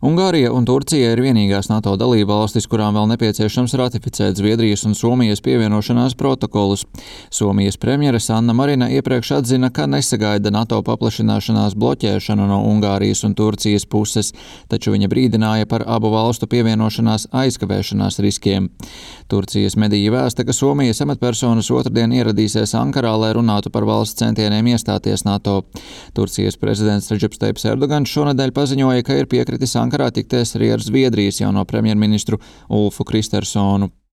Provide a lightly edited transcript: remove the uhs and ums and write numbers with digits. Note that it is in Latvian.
Ungārija un Turcija ir vienīgās NATO dalībvalstis, kurām vēl nepieciešams ratificēt Zviedrijas un Somijas pievienošanās protokolus. Somijas premjere Sanna Marina iepriekš atzina, ka nesagaida NATO paplašināšanās bloķēšanu no Ungārijas un Turcijas puses, taču viņa brīdināja par abu valstu pievienošanās aizkavēšanās riskiem. Turcijas mediji vēsta, ka Somijas amatpersonas otrdien ieradīsies Ankarā, lai runātu par valsts centieniem iestāties NATO. Turcijas prezidents Redžeps Tajips Erdogans šonedēļ paziņoja, ka ir piekritis Ankarā tikties arī ar Zviedrijas jauno premjerministru Ulfu Kristersonu.